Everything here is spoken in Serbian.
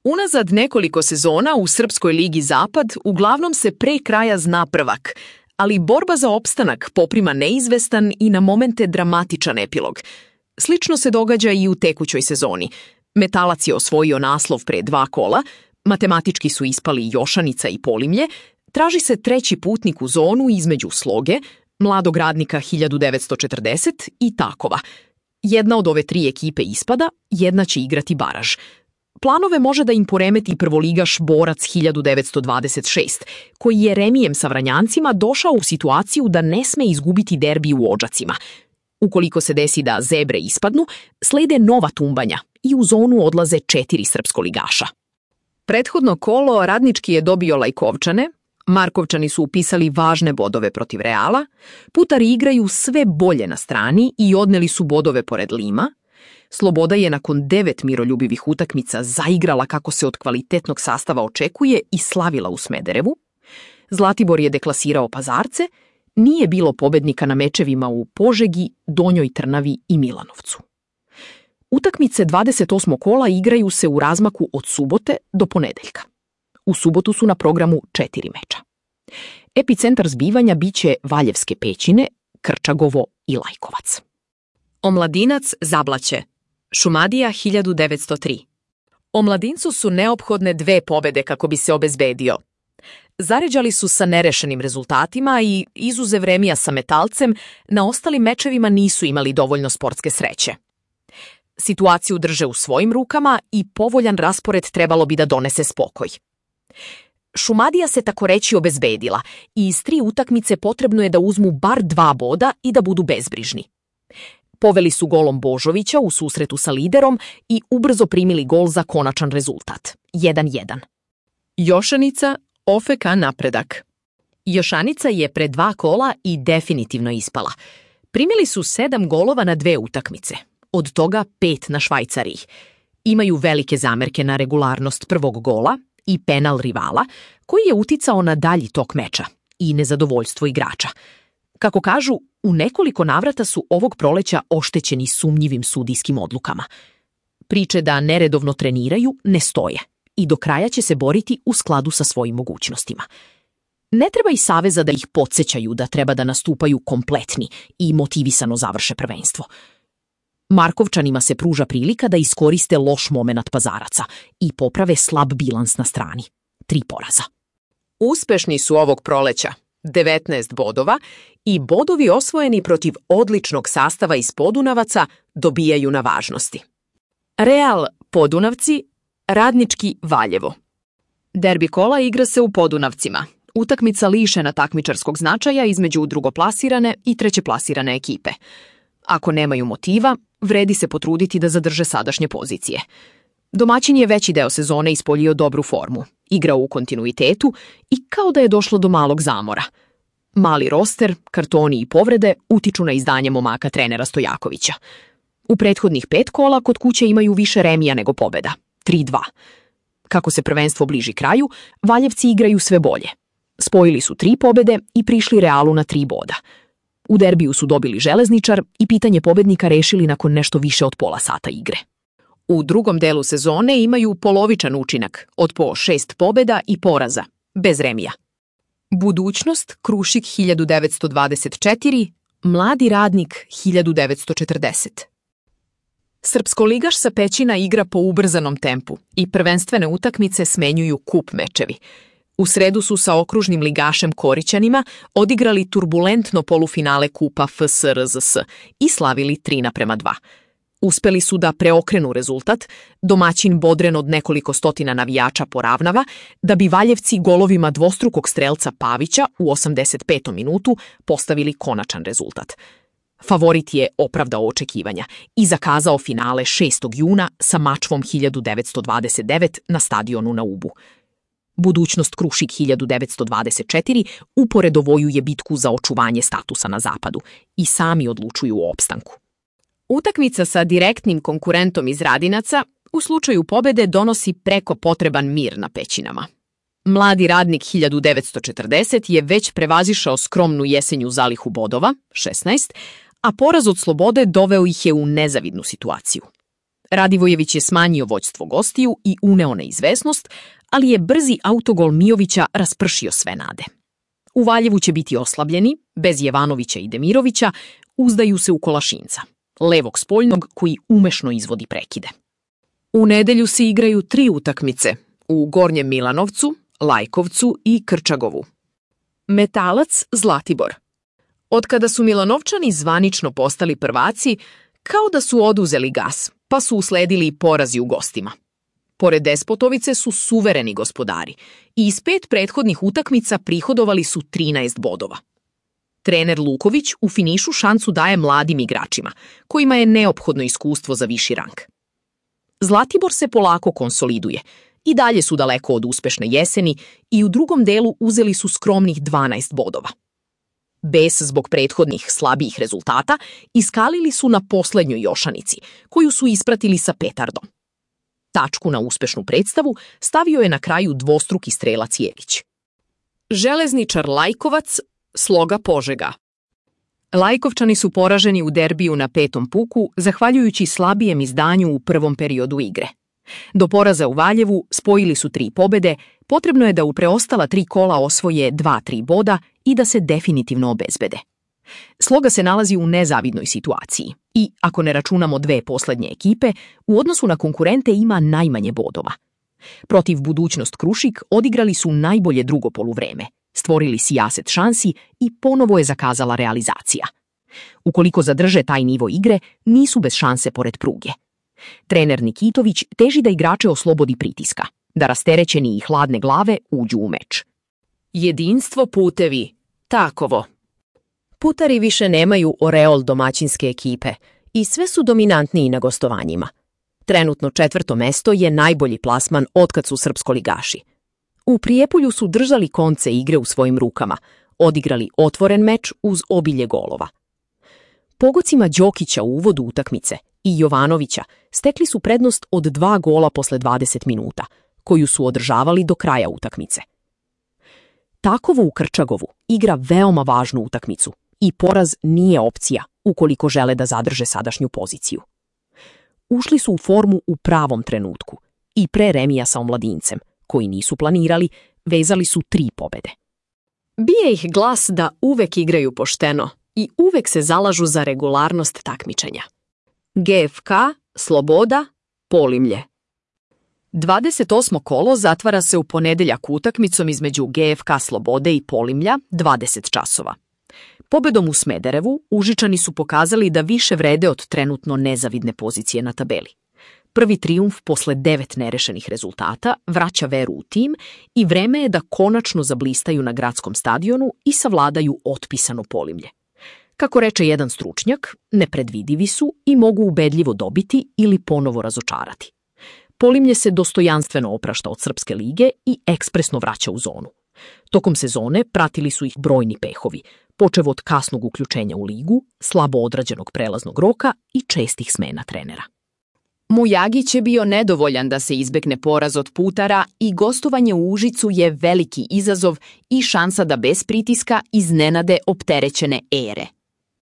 Unazad nekoliko sezona u Srpskoj ligi Zapad uglavnom se pre kraja zna prvak, ali borba za opstanak poprima neizvestan i na momente dramatičan epilog. Slično se događa i u tekućoj sezoni. Metalac je osvojio naslov pre 2 kola, matematički su ispali Jošanica i Polimlje, traži se treći putnik u zonu između Sloge, Mladog Radnika 1940 i Takova. Jedna od ove 3 ekipe ispada, jedna će igrati baraž. Planove može da im poremeti prvoligaš Borac 1926, koji je remijem sa Vranjancima došao u situaciju da ne sme izgubiti derbi u Odžacima. Ukoliko se desi da Zebre ispadnu, slede nova tumbanja i u zonu odlaze 4 srpskoligaša. Prethodno kolo Radnički je dobio Lajkovčane, Markovčani su upisali važne bodove protiv Reala, Putari igraju sve bolje na strani i odneli su bodove pored Lima, Sloboda je nakon 9 miroljubivih utakmica zaigrala kako se od kvalitetnog sastava očekuje i slavila u Smederevu, Zlatibor je deklasirao Pazarce, nije bilo pobednika na mečevima u Požegi, Donjoj Trnavi i Milanovcu. Utakmice 28. kola igraju se u razmaku od subote do ponedeljka. U subotu su na programu 4 meča. Epicentar zbivanja biće Valjevske Pećine, Krčagovo i Lajkovac. Omladinac Zablaće, Šumadija 1903. Omladincu su neophodne 2 pobede kako bi se obezbedio. Zaređali su sa nerešenim rezultatima i, izuzev remija sa Metalcem, na ostalim mečevima nisu imali dovoljno sportske sreće. Situaciju drže u svojim rukama i povoljan raspored trebalo bi da donese spokoj. Šumadija se tako reći obezbedila i iz 3 utakmice potrebno je da uzmu bar 2 boda i da budu bezbrižni. Poveli su golom Božovića u susretu sa liderom i ubrzo primili gol za konačan rezultat, 1:1. Jošanica, OFK Napredak. Jošanica je pre 2 kola i definitivno ispala. Primili su 7 golova na 2 utakmice, od toga 5 na Švajcariji. Imaju velike zamerke na regularnost prvog gola i penal rivala, koji je uticao na dalji tok meča i nezadovoljstvo igrača. Kako kažu, u nekoliko navrata su ovog proleća oštećeni sumnjivim sudijskim odlukama. Priče da neredovno treniraju ne stoje i do kraja će se boriti u skladu sa svojim mogućnostima. Ne treba i saveza da ih podsjećaju da treba da nastupaju kompletni i motivisano završe prvenstvo. Markovčanima se pruža prilika da iskoriste loš momenat Pazaraca i poprave slab bilans na strani. 3 poraza. Uspešni su ovog proleća, 19 bodova, i bodovi osvojeni protiv odličnog sastava iz Podunavaca dobijaju na važnosti. Real Podunavci, Radnički Valjevo. Derbi kola igra se u Podunavcima. Utakmica lišena takmičarskog značaja između drugoplasirane i trećeplasirane ekipe. Ako nemaju motiva, vredi se potruditi da zadrže sadašnje pozicije. Domaćin je veći deo sezone ispoljio dobru formu, igrao u kontinuitetu i kao da je došlo do malog zamora. Mali roster, kartoni i povrede utiču na izdanje momaka trenera Stojakovića. U prethodnih 5 kola kod kuće imaju više remija nego pobeda, 3:2. Kako se prvenstvo bliži kraju, Valjevci igraju sve bolje. Spojili su 3 pobede i prišli Realu na 3 boda. U derbiju su dobili Železničar i pitanje pobednika rešili nakon nešto više od pola sata igre. U drugom delu sezone imaju polovičan učinak od po 6 pobeda i poraza, bez remija. Budućnost Krušik 1924, Mladi Radnik 1940. Srpskoligaš sa Pećina igra po ubrzanom tempu i prvenstvene utakmice smenjuju kup mečevi. U sredu su sa okružnim ligašem Korićanima odigrali turbulentno polufinale kupa FSRZS i slavili 3:2. Uspeli su da preokrenu rezultat, domaćin bodren od nekoliko stotina navijača poravnava, da bi Valjevci golovima dvostrukog strelca Pavića u 85. minutu postavili konačan rezultat. Favorit je opravdao očekivanja i zakazao finale 6. juna sa Mačvom 1929 na stadionu na Ubu. Budućnost Krušik 1924 uporedovojuje bitku za očuvanje statusa na zapadu i sami odlučuju o opstanku. Utakmica sa direktnim konkurentom iz Radinaca u slučaju pobede donosi preko potreban mir na Pećinama. Mladi Radnik 1940 je već prevazišao skromnu jesenju zalihu bodova, 16, a poraz od Slobode doveo ih je u nezavidnu situaciju. Radivojević je smanjio vođstvo gostiju i uneo neizvesnost, ali je brzi autogol Mijovića raspršio sve nade. U Valjevu će biti oslabljeni, bez Jevanovića i Demirovića, uzdaju se u Kolašinca, levog spoljnog koji umešno izvodi prekide. U nedelju se igraju 3 utakmice, u Gornjem Milanovcu, Lajkovcu i Krčagovu. Metalac Zlatibor. Otkada su Milanovčani zvanično postali prvaci, kao da su oduzeli gas, pa su usledili porazi u gostima. Pored Despotovice su suvereni gospodari i iz 5 prethodnih utakmica prihodovali su 13 bodova. Trener Luković u finišu šansu daje mladim igračima, kojima je neophodno iskustvo za viši rang. Zlatibor se polako konsoliduje, i dalje su daleko od uspešne jeseni i u drugom delu uzeli su skromnih 12 bodova. Bes zbog prethodnih slabijih rezultata iskalili su na poslednjoj Jošanici, koju su ispratili sa petardom. Tačku na uspešnu predstavu stavio je na kraju dvostruki strelac Jelić. Železničar Lajkovac, Sloga Požega. Lajkovčani su poraženi u derbiju na 5. puku, zahvaljujući slabijem izdanju u prvom periodu igre. Do poraza u Valjevu spojili su 3 pobede, potrebno je da u preostala 3 kola osvoje 2-3 boda i da se definitivno obezbede. Sloga se nalazi u nezavidnoj situaciji i, ako ne računamo 2 poslednje ekipe, u odnosu na konkurente ima najmanje bodova. Protiv Budućnost Krušik odigrali su najbolje drugo poluvreme, stvorili sijaset šansi i ponovo je zakazala realizacija. Ukoliko zadrže taj nivo igre, nisu bez šanse pored pruge. Trener Nikitović teži da igrače oslobodi pritiska, da rasterećeni i hladne glave uđu u meč. Jedinstvo putevi, Takovo. Putari više nemaju oreol domaćinske ekipe i sve su dominantniji na gostovanjima. Trenutno 4. mesto je najbolji plasman otkad su srpskoligaši. U Prijepolju su držali konce igre u svojim rukama, odigrali otvoren meč uz obilje golova. Pogocima Đokića u uvodu utakmice i Jovanovića stekli su prednost od 2 gola posle 20 minuta, koju su održavali do kraja utakmice. Takovo u Krčagovu igra veoma važnu utakmicu i poraz nije opcija ukoliko žele da zadrže sadašnju poziciju. Ušli su u formu u pravom trenutku i pre remija sa Omladincem, koji nisu planirali, vezali su 3 pobede. Bije ih glas da uvek igraju pošteno i uvek se zalažu za regularnost takmičenja. GFK, Sloboda, Polimlje. 28. kolo zatvara se u ponedeljak utakmicom između GFK Slobode i Polimlja 20 časova. Pobedom u Smederevu Užičani su pokazali da više vrede od trenutno nezavidne pozicije na tabeli. Prvi trijumf posle 9 nerešenih rezultata vraća veru u tim i vreme je da konačno zablistaju na gradskom stadionu i savladaju otpisano Polimlje. Kako reče jedan stručnjak, nepredvidivi su i mogu ubedljivo dobiti ili ponovo razočarati. Polimlje se dostojanstveno oprašta od Srpske lige i ekspresno vraća u zonu. Tokom sezone pratili su ih brojni pehovi, počev od kasnog uključenja u ligu, slabo odrađenog prelaznog roka i čestih smena trenera. Mujagić je bio nedovoljan da se izbegne poraz od Putara i gostovanje u Užicu je veliki izazov i šansa da bez pritiska iznenade opterećene ere.